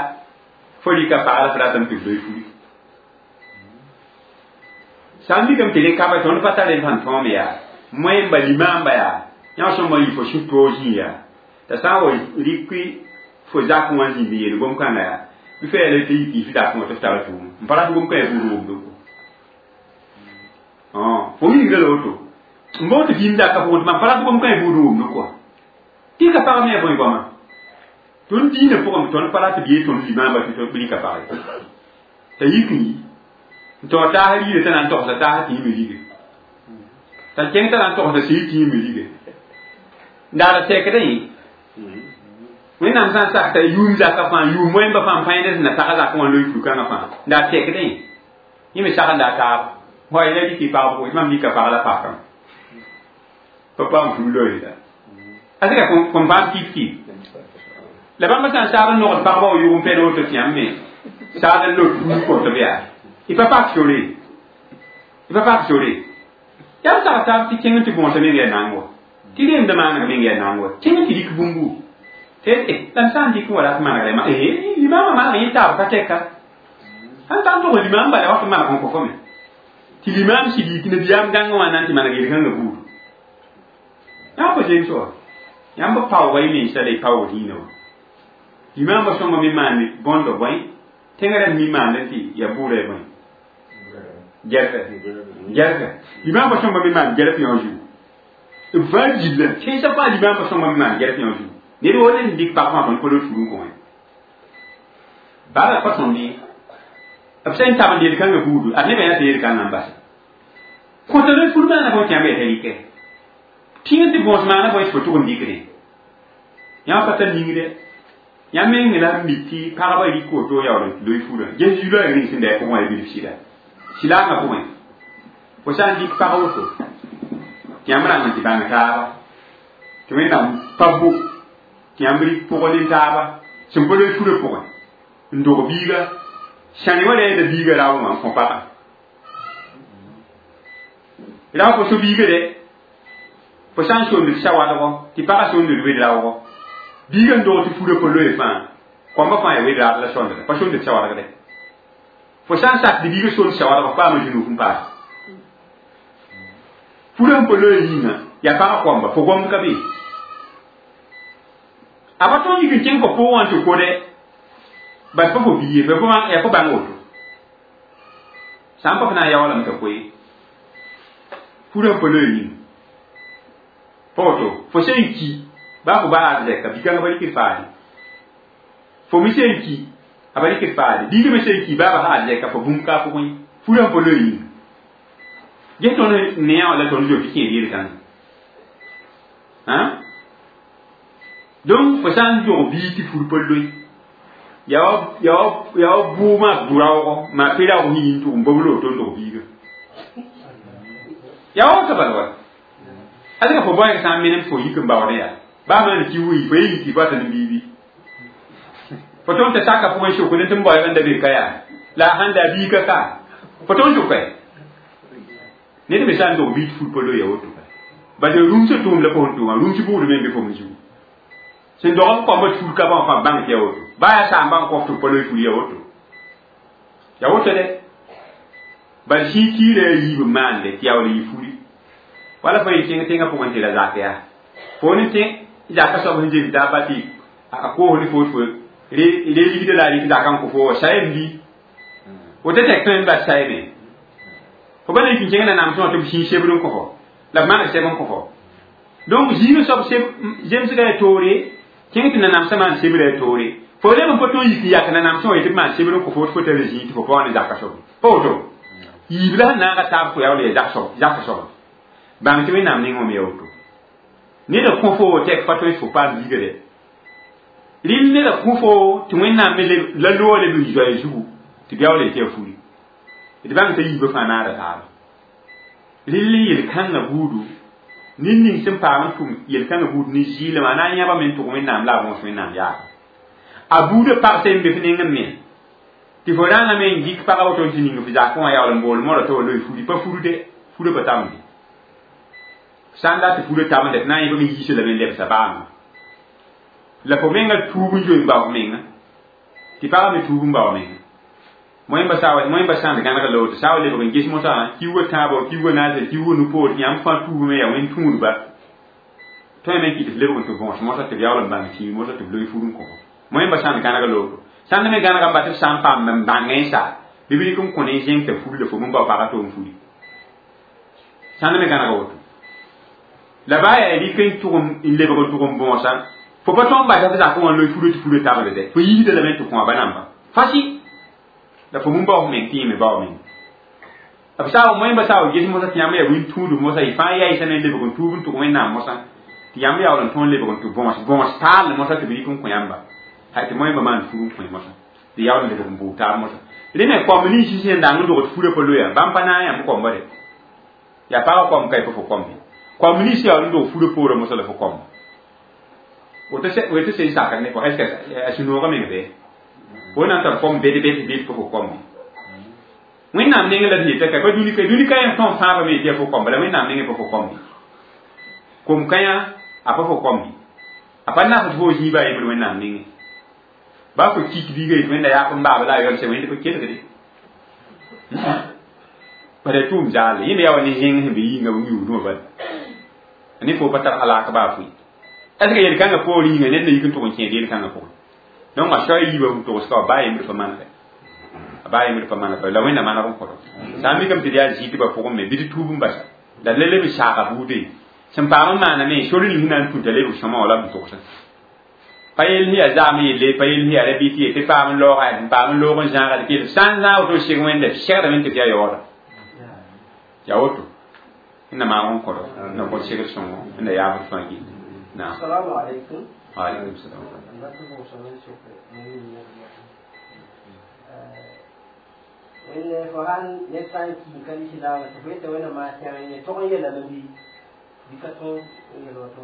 fo rɩka pag la f ratame tɩ b loe furi sã n mikame tɩ rẽ kaba tõnd pa tar rẽ sãn tõome yaa moẽmba limaamba yaa yã sõma yɩ fo sũ-toog zĩ yaa t'a sã n wa rɩk fo zak wã zĩnd yeel gom-kãngã yaa bɩ fa yaa tɩ yik yif dak wã tɩ f tara tʋʋm n pa rat gom-kã yaa buud womdo fo wilgda la woto n boog tɩ vɩɩm daka pʋgẽ tɩ mam pa rat gom-kã yaa buud womdo kɔa tɩ ka pag me yaa bõe goama tõnd dĩinã pʋgẽ tõnd pa rat b yee tõnd limaamba tɩ b rɩka pag ye t'a yik n yi n taoor taas riirã t'a na n togsa taas tɩ yĩme rige t'a kẽng t'a na n togsa sɩɩ tɩ yĩme rige n daara tɛkdẽ yẽ wẽnnaam sã n sak t'a yʋʋm zaka fãa yʋʋm wẽmba fãa n pãend sẽn na tag zakẽ wã loe fur-kãngã fãa n daa tɛkdẽ yẽ me sag n daa taab wa la rɩk y pagb tɩ mam rɩka pag la pakame pa paam fur loe la a sɩka kõn paam kif-kif la bãmba sã n saag n nogd pagba wa yʋg n pɛd woto tɩ yãmb me saag n lot fur kõt b yaa y pa pak sore y pa pak sore yaa b sag taab tɩ kẽng tɩ bõosã meng yaa naang wa tɩ reemda maaneg meng yaa naang wa kẽng tɩ rɩk bũmbu tɩ la m sã n dɩk n wa rat manegre ma limaamã maneg yẽ taab ka tɛka sãn tar n tʋg limaam bala wa tɩ maneg n kõ fo me tɩ limaam sɩd yik nabiyaam dãngã wã na n tɩ maneg yel-kãngã buud yã pa zems wa yãmb paooga y mensa la y paoog dĩinã wã limaambã sõnga me maand bõndo bõe tẽngã rãmb mi maand tɩ yaa bʋʋra ya bõe gɛrfɛ gɛrfɛ limaambã sõnga me maand gɛrf yõ zugu b vãa gilla kẽnsã fãa limaambã sõnga me maand gɛrf yõ zugu ned wo ned n dɩk pag fãa tõnd pa lot fur n kõ wã bala pa tõnd ye b sẽn tab n yel-kãngã buudu ad nebã yaa tɩ yel-kãngã n base kõta loe fur maana bõe tɩ yãmb yaa t'a rɩkɛ tĩng tɩ bõos maana bõe tɩ fo tʋg n dɩkdẽ yãmb pa tar ningdɛ yãmb meng la n mi tɩ pagba rɩk woto yaool n loe furã ges zu-loɛɛg ning sẽn da pʋgẽ wã bilf sɩda silaangã pʋgẽ fo sã n dɩk pag woto tɩ yãmb rãng n tɩ bãng taaba tɩ wẽnnaam pa bo tɩ yãmb rɩk pʋgẽ ne taaba sẽn pa loe furã pʋgẽ n dog biiga sãne wa reeda biiga raoã wã n kõ paga rao fo so biiga dɛ fo sã n soond sawadgɔ tɩ paga soond wed raoogɔ biiga n dog tɩ furã pa loe fãa kõmba fãa yaa wed raad la sõndda pa soond sawadg dɛ fo sã n sak tɩ biiga soond sawadg paama zũnug n paas furã n pa loe yĩnga yaa paga kõmba fo gomd ka be a pa tõnd yik n kẽng fo pʋgẽ wã n tɩ ko dɛ Bas pa fo biye fo ya fo bãng woto sã n pa f na n yaoolame t'a koe furã pa loe yĩng pa woto fo sẽn ki baa fo baa arzɛka bi-kãngã pa rɩkd faade fo me sẽn ki a pa rɩkd faade biigã me sẽn ki baa bas arzɛka fo bũmb ka a pʋgẽ furã pa loe yĩnga ges tõnd neã wã la tõnd zoe tɩ kẽed yel-kãngã donc fo sã n dog bii tɩ fur pa loe ya wa bʋʋ maa bʋ-raoogo maa pe-raoog sẽn yĩn tʋg n bobl woto n dog biiga ya wa woto bala wa adka fo bõeg sã n menem fo yik n baoodẽ yaa baa maan ki wi fo ye yiki fo tɩ biibi fo tõnd tɩ saka pʋgẽ sʋkd tɩ n baoeb n da be ka yaa la a sãn da biiga ka fo tõnd sʋka ned me sã n dog bii tɩ fur pa loe ya woto bas rũmsã tʋʋm la fo sẽn tʋʋma rũms buud me n be fo me zugu sẽn dog b koamba fur ka bãmb fãa bãng tɩ ya woto baa yaa saamba n kõf tɩ pa loe fur ya woto ya woto dɛ bal sĩig kiirã yaa yiib n maande tɩ yaool yɩ furi wala fo yɩ kẽng tẽngã pʋgẽ tɩ ra zak yaa fo ne tẽ zaka soab sẽn zems taaba tɩ a koos ne fo tɩ fo re ligda la a rɩk zaka n kõ fo wa sayem bɩ woto tɛk tõe n bas sayeme fo pa na yik n kẽng nanam sõa tɩ b sĩig sebr n kõ fo la b maneg sɛb n kõ fo donc zĩigã soab zemsga ya toore kẽng tɩ nanamsã maan sebrã ya toore fo leb n pa tõe n yik n yak nanamsã wã yetɩ b maan sebr n kõ fo tɩ fo tara zĩig tɩ fo pa wa ne zaka soab pa woto yiib la sẽn naaga taab fo yaool ya zak soaba bãng tɩ wẽnnaam ning wame ya woto neda kõ fo tɛk pa tõe tɩ fo paam biiga dɛ rɩl neda kõ fo tɩ wẽnnaam me la loog leb n zoɛɛ zugu tɩ b yaool yetɩ ya furi d bãng t'a yiibã fãa naada taaba rɩl n yel-kãngã buudu ned ning sẽn paam n tʋm yel-kãngã buud ne zɩɩlem a na n yãbame n tʋg wẽnnaam la a võos wẽnnaam yaaba a buudã pagsɛ n be f neng n me tɩ fo rãngame n dɩk pagã woto n tɩ ning f zakẽ wã yaool n bool modã tɩ wa loe furi pa furde furã pa tamde sã n dat tɩ furã tamde tɩ na n yẽbame yiisã lame n lebsa baama la fo menga tuub n zoe n bao f menga tɩ pagã me tuub n bao menga moẽmba sãnd gãneg la woto sã wa lebg n ges mosã kiuugã tãabo kiuugã naasel kiuugã nu-poor tɩ yãmb fãa tuubme yaa wẽn tũudba tõe me n kɩt f lebg n tɩ võos mosã tɩ b yaool n bãng tĩig mosã tɩ b loe fur n kõ moẽmba sãnd gãneg la woto sãnd me gãnega n bas tɩ b sã n paam n bãngẽ n sa bɩ b rɩk n kõ ne zẽng t'a furi la fo min bao pagã tɩ n furi sãnd me gãnega woto la baa yaa rɩk n tʋg n lebg n tʋg n võosa fo pa tõnd basa f zakẽ wã n loe furã tɩ furã tabl dɛ fo yiisda lame n tɩ kõ a ba namba fasi la fo mun bao meng tɩ yẽ me bao meng b saa moẽmba saa wa ges mosã tɩ yãmb yaa wĩn tũudb mosã y fãa yaɩsame n lebg n tuub n tʋg wẽnnaam mosã tɩ yãmb yaool n tõe n lebg n tɩ võos taal mosã tɩ b rɩk n kõ yãmba hay tɩ moẽmba maan fur n kõ mosã tɩ yaool n lebg n bʋʋg taab mosã rẽ me koamb nins sẽn dang n dogd furã pa loya bãmb pa na n yãmb koamba de yaa pagã koam ka y pa fo koambe koamb nins yaool n dog furã poorã mosã la fo koamba woto sẽn sakd ne est ce que a sũ-noogã meng bɩ fo na n tar kom bed bed bed pa fo koambe wẽnnaam nengẽ la d yeta ka pa dũni ka yẽ tõn fãabame yetɩ ya fo koamba la wẽnnaam nengẽ pa fo koambe kom-kãyã a pa fo koambe a pa nasd fo zĩiba a yembr wẽnnaam nengẽ baa fo kik biiga yetɩ wẽnda yaap n baaba la a yɔlsã wẽnd pa kelgde bara tʋʋm zaalle yẽ me yaa wa ne zẽng sẽn be yĩnga yũudmã bala ne fo pa tar alak baa fʋɩ est ce que yel-kãngã poor yĩnga ned na yik n tʋg n kẽed yel-kãngã pʋgẽ donc a soa yiibã sẽn togs ka wa baa yembr pa manegɛ a baa yembr pa manegɛ la wẽnna maneg n kõtɔ sã n mikame tɩ d yaa zɩɩtbã pʋgẽ me bɩ tɩ tuub n basa la la leb n saaga buude sẽn paam n maaname sor ning sẽn na n tũ t'a lebg sõma wã la b togsã pa yell sẽn yaa zaam yelle pa yell sẽn yaa ra bɩ tɩ yetɩ paam n laooga n paam n loog n zãaga tɩ kell sã n zãag woto seg wẽnda segdame tɩ f yaa yaooda yaa woto wẽnna maag n kõtɔ na kõt segd sõngo wẽnda yaabd fãa gilli naam Assalamu alaikum. wa alaikum salam Wẽnde fo sãn ned sã n ki n ka lislaamã tɩ fo yeta wẽnnaam maa tẽg yẽ tog n yeelame bɩ bɩ ka tõog n yel woto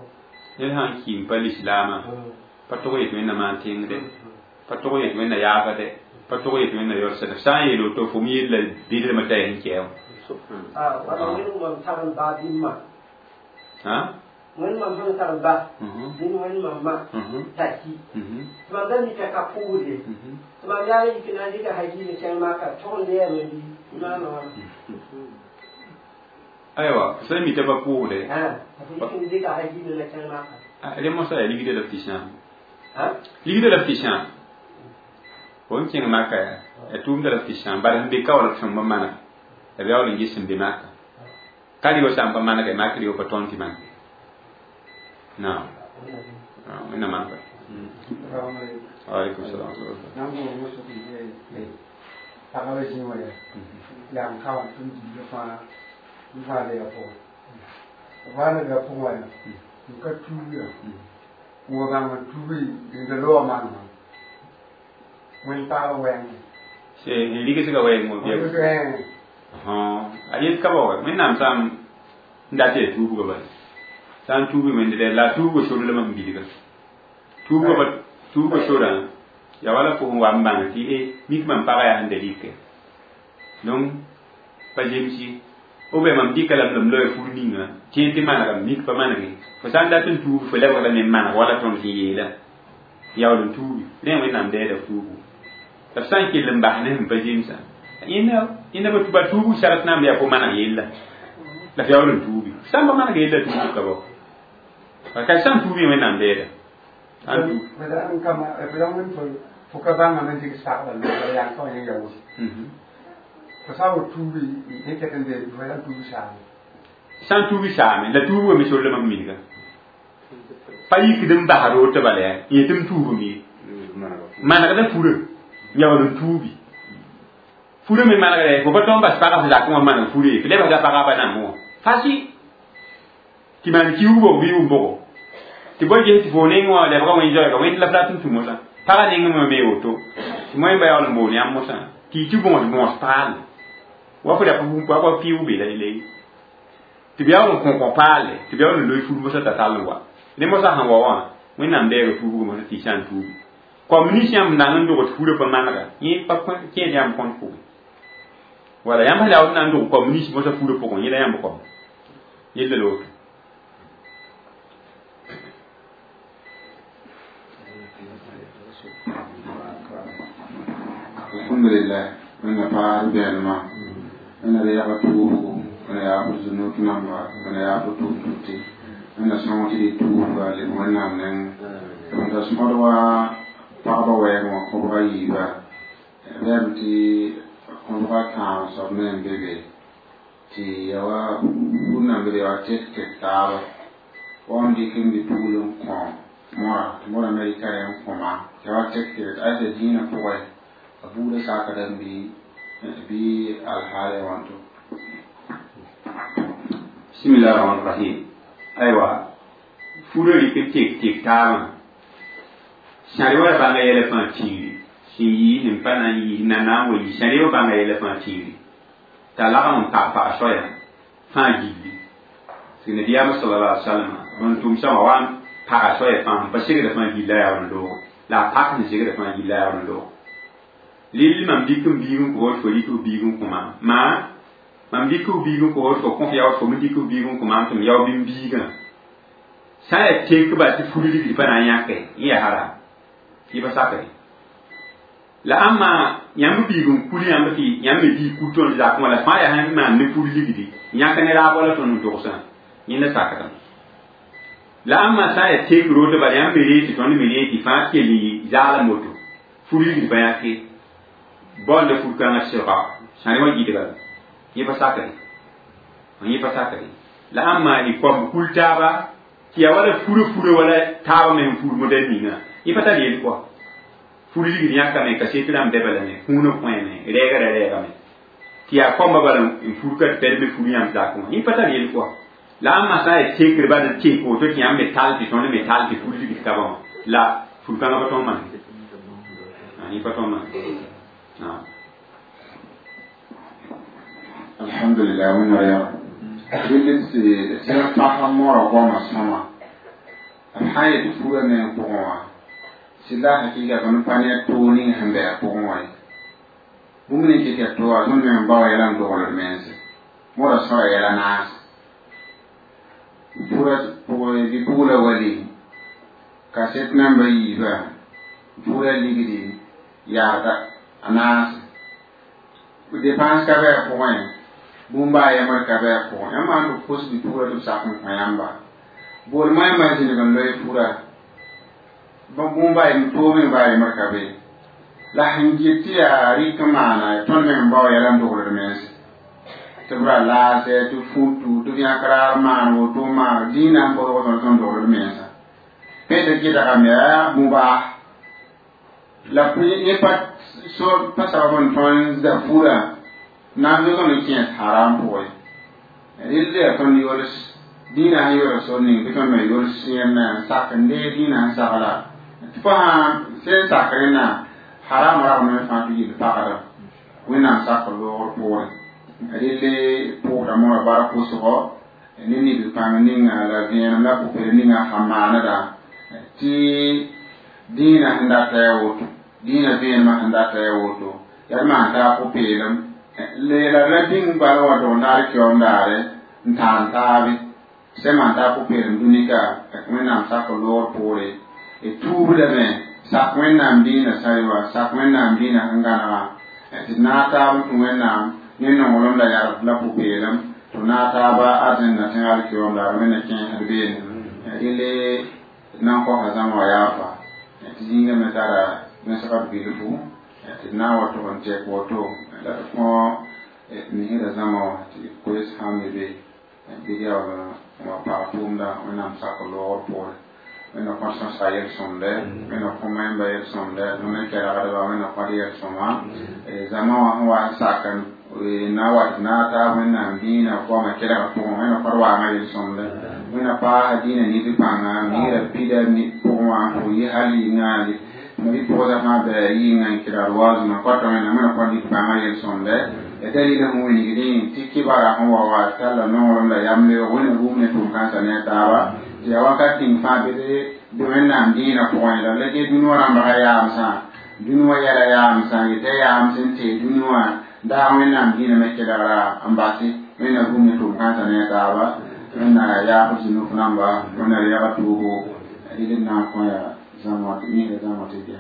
ned sã n ki n pa lislaamã pa tog yetɩ wẽnnaam maan tẽngde pa tog yetɩ wẽnna yaaba dɛ pa tog yetɩ wẽnna yɔlsa d sã n yeel woto fo me yella bɩdlmã t'a yaa sẽn kɛɛ wã wala wẽnd mam tar n baa bɩ ma wẽnd mam sẽn tar n ba dẽn wẽnd mam ma t'a ki tɩ mam da mika ka pʋʋsde tɩ mam yaa yik na n dɩka hakiim kẽng maaka tog n leɛame bɩ maana wãna aywa sã mi t'a pa pʋʋsde tɩ yik n dɩka hakiim la kẽng maaka rẽ mosã yaa ligdã la f tɩ sãam ligdã la f tɩ sãam Fo n kẽng maka ya tʋʋmda la tɩ sãam bala sẽn be ka wala sõm b maneg la b yaool n ges sẽn be maka ka rɩ sã n pa manege mak rɩ pa tõnd tɩ maneg naam wẽnnaam maan waalaikum salaam. Pagaba zĩ wã yaa n ka wã tɩ m diiga fãa n vaada yaa pʋgẽ vaada yaa pʋgẽ wã yaa n ka tuuga n wa bãng n tuugi n da loog manegã wẽnd paaba wɛɛngẽ n rigsga wɛɛng wã a yet ka ba wa wẽnnaam sãam n dat yaa tuubga bala sã n tuubi wẽnd dɛ la a tuubga sor la mam bilga tuubga sorã ya wala fo sẽn wa n bãng tɩ e mik mam pagã yaa sẽn da rɩkɛ donc pa zemsi ou bien mam dɩka lame m loe fur ninga tẽ tɩ manegame mik pa manege fo sã n dat n tuub fo lebgdame n maneg wala tõnd sẽn yeela yaool n tuubi rẽ wẽnnaam dɛɛda tuubu la f sã n kell n bas ne sẽn pa zemsã ẽnda ba tuubu sart naam yaa fo maneg yella la f yaool n tuubi sã n pa maneg yella tuubu ka bao parce que sã n tuubi wẽnnaam dɛɛda fo ka bãngame n dɩk sagla la yaa ka wã yẽ yaoos fo sã n wa tuubi yẽ ket n dee fo sã n tuubi saame sã n tuubi saame la tuubga me sor la mam minga pa yikd n basd woto bala yaa yẽ tɩ m tuubame ye manegda furã yaool n tuubi furã me manegda fo pa tõnd bas pagã f zakẽ wã maneg furã ye fo lebsda pagã ba nambẽ wã fasi tɩ maan kiuug bog bɩ yʋʋm bʋgo tɩ bõe ges tɩ fo neng wã lebga wẽn zoɛɛga wẽnd la f rat n tũ mosã pagã neng me me woto tɩ moẽmba yaool n boon yãmb mosã tɩ y tɩ bõos bõos paale wa fo wa piʋʋg be la le tɩ b yaool n kõ paale tɩ b yaool n loe fur mosã t'a tall n wa ne mosã sẽn wa wã wẽnnaam deega tuubga mosã tɩ y sã n tuubi kom nins yãmb nang n dog tɩ furã pa manega yẽ pa kẽed yãmb kõn pʋgẽ wala yãmb sẽn yaool n na n dog kom nins mosã furã pʋgẽ yẽ la yãmb kom yella la woto. Alhamdulillah wẽnna paas bɛɛlmã wẽnna da yaga tuubgo wẽnna yaa b zũnuk namba wẽnna yaa b tʋʋm-tʋte wẽnna sõng tɩ d tuubga leb wẽnnaam neng n da sõd wa pagba wɛɛg wã kõbga yiiba bɛm tɩ kõbga tãag soab me n be be tɩ ya wa bũmb nan be ya wa tek tek taaba wa n dɩk n bɩ-pugl n kõ mõra tɩ mõra me rɩka rẽ n kõma ya wa tek tek tɩ aysa dĩinã pʋgẽ a buudã sakdame bɩ alhaale wãnto. Bismillah rahman rahim. Aywa furã rɩk n tek tek taabã sãre wa bãnga yɛla fãa tiiri sẽn yii sẽn pa na n yii na na n wa yii sãre wa bãnga yɛla fãa tiiri t'a lagm n pag pag soaya fãa gilli tɩ nabiyaamã sallallahu alaihi wasallam n tʋmsã wã wa n paga soaya fãa sẽn pa segda fãa gilla yaool n loogo la a pak sẽn segda fãa gilla yaool n loogo lil mam dɩk n biig n kõ fo rɩk f biig n kõ maam maa mam dɩk f biig n kõ fo kõ f yaood fo me dɩk f biig n kõ maam tɩ m yao bɩ m biigã sã n yaa tekba tɩ fur ligd pa na n yãke yẽ yaa haram yẽ pa sakre la ãmba yãmb biig n kul yãmb tɩ yãmb me biig kul tõnd zakẽ wã la fãa yaa sẽn maan ne fur ligdi yãk ne raab wala tõnd n togsã yẽnda sakdame la ãmba sã n yaa tek roto bala yãmb me ree tɩ tõnd me ree tɩ fãa kell n zaalem woto fur ligd pa yãke baoonda fur-kãngã sɩlga sãre wã gɩdga yẽ pa sakre yẽ pa sakre la ãmba y koam kul taaba tɩ yaa wala furã furã wala taabã me sẽn fur modɛl ninga yẽ pa tar yel kɔa fur ligd yãkame kaset rãmb bɛ balame kũunã kõeme rɛɛga ra rɛɛgame tɩ yaa koamba bala n fur ka tɩ pɛd me fur yãmb zakẽ wã yẽ pa tar yel kɔa la ãmba sã n yaa tekr bal n tek woto tɩ yãmb me tall tɩ tõnd me tall tɩ fur ligd ka ba wã la fur-kãngã pa tõnd maneg yẽ pa tõnd maneg. نعم. Alhamdulillah wẽnna yaa rɩl tɩ pasa moora goamã sõma b sã n yet furã meng pʋgẽ wã sɩd la hakɩɩga tõnd pa ne toog ning sẽn bɩ a pʋgẽ wã ye bũmb ning kɩt yaa tooga tõnd meng bao yɛla n dogld mense moora sõra yɛla naase furã pʋgẽ bɩ-pugla wali kaset namba yiiba furã ligdi yaagda a naase dépense ka bɩ a pʋgẽ bũmb a yemd ka bɩ a pʋgẽ yãmb maan tɩ b kos bɩ-pugla tɩ b sak n kõ yãmba bool moẽmbã zĩnig n loe fura bũmb a yem toog meng ba a yemd ka be La sẽn get tɩ yaa rɩk n maana tõnd meng n bao yɛla n dogd d mense tɩ b ra laase tɩ futu tɩ yãk raar maan woto n maan dĩinã sẽn bõdg tõnd tõnd dogd d mensã pẽ tɩ kɩdgame yaa mubah la yẽ pa so pa sabab n tõnd za furã na n zoe tõnd n kẽes haram pʋgẽ rɩl yaa tõnd yols dĩinã sẽn yols sor ning bɩ tõnd me yols yẽmna n sak n dee dĩinã sẽn sagla tɩ fo sãn sẽn sak rẽnna haram ragme fãa tɩ yɩl pagda wẽnnaam sak loogr poorẽ rɩle pʋʋsda moorã bara kʋsgɔ ne nib pãng ninga la vẽenem la pʋpel ninga sãn maaneda tɩ dĩinã sẽn data yaa woto dĩinã vẽenemã sẽn data yaa woto yaa d maan taa pʋ-peelem la la bĩng bala wa dog naar kiom daare n tãan taabe sẽn maan taa pʋ-peelem dũnika wẽnnaam sak loogr poore d tuubdame sak wẽnnaam dĩinã sã-yoa sak wẽnnaam dĩinã sẽn gãnega tɩ d naag taab n tũ wẽnnaam ne nonglem la yarb la pʋ-peelem tɩ naag taaba arzẽnda tẽŋa alkiom daare wẽnna kẽesd beene rɩle nan kosa zãma wa yaafa tɩ zĩigã me tara vẽsgd bilfu tɩ d na n wa tʋg n tɛk woto la d kõ misrã zãma wã tɩ koes sãn me be bɩ yaool n wa pag tʋʋmda wẽnnaam sak loogr poore wẽnna kõt sõsga yel-sõmde wẽnna kõ wẽmba yel-sõmde wẽnna kelgdba wẽnna kõt yel-sõma zãma wã sẽn wa n sak n na wa tɩ naag taab wẽnnaam dĩinã goamã kelgd pʋgẽ wẽnna kõt waangã yel-sõmde wẽnna paasa dĩinã nif pãnga misrã pida pʋgẽ wã n pʋg yɩ hal yɩnga bɩ pʋgsa fãa bɩ yɩnga n kelgd waazumã kõta wẽnnaam wẽnna kõt nif pãngã yel-sõmde ya dalila sẽn wilgdẽ tɩ kibara sẽn wa wa talla nonglem la yamle wẽnna rũm ne tʋm-kãensã ne a taaba tɩ yaa wakat tĩng fãa bɩ bɩ wẽnnaam dĩinã pʋgẽ la la ge dũni wã rãmbga yaamsã dũni wã yɛla yaamsã yetɩ yaam sẽn tee dũni wã daag wẽnnaam dĩinã me kelgra n base wẽnna rũm ne tʋm-kãensã ne a taaba wẽnna yaab zũnuf namba wẽnna reega toogo rɩl n na n kõ yaa zãma misra zãma tɩ bɩa.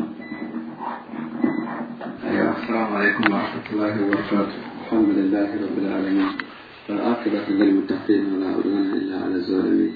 السلام عليكم ورحمة الله وبركاته. الحمد لله رب العالمين، والعاقبة للمتقين، ولا عدوان إلا على الظالمين.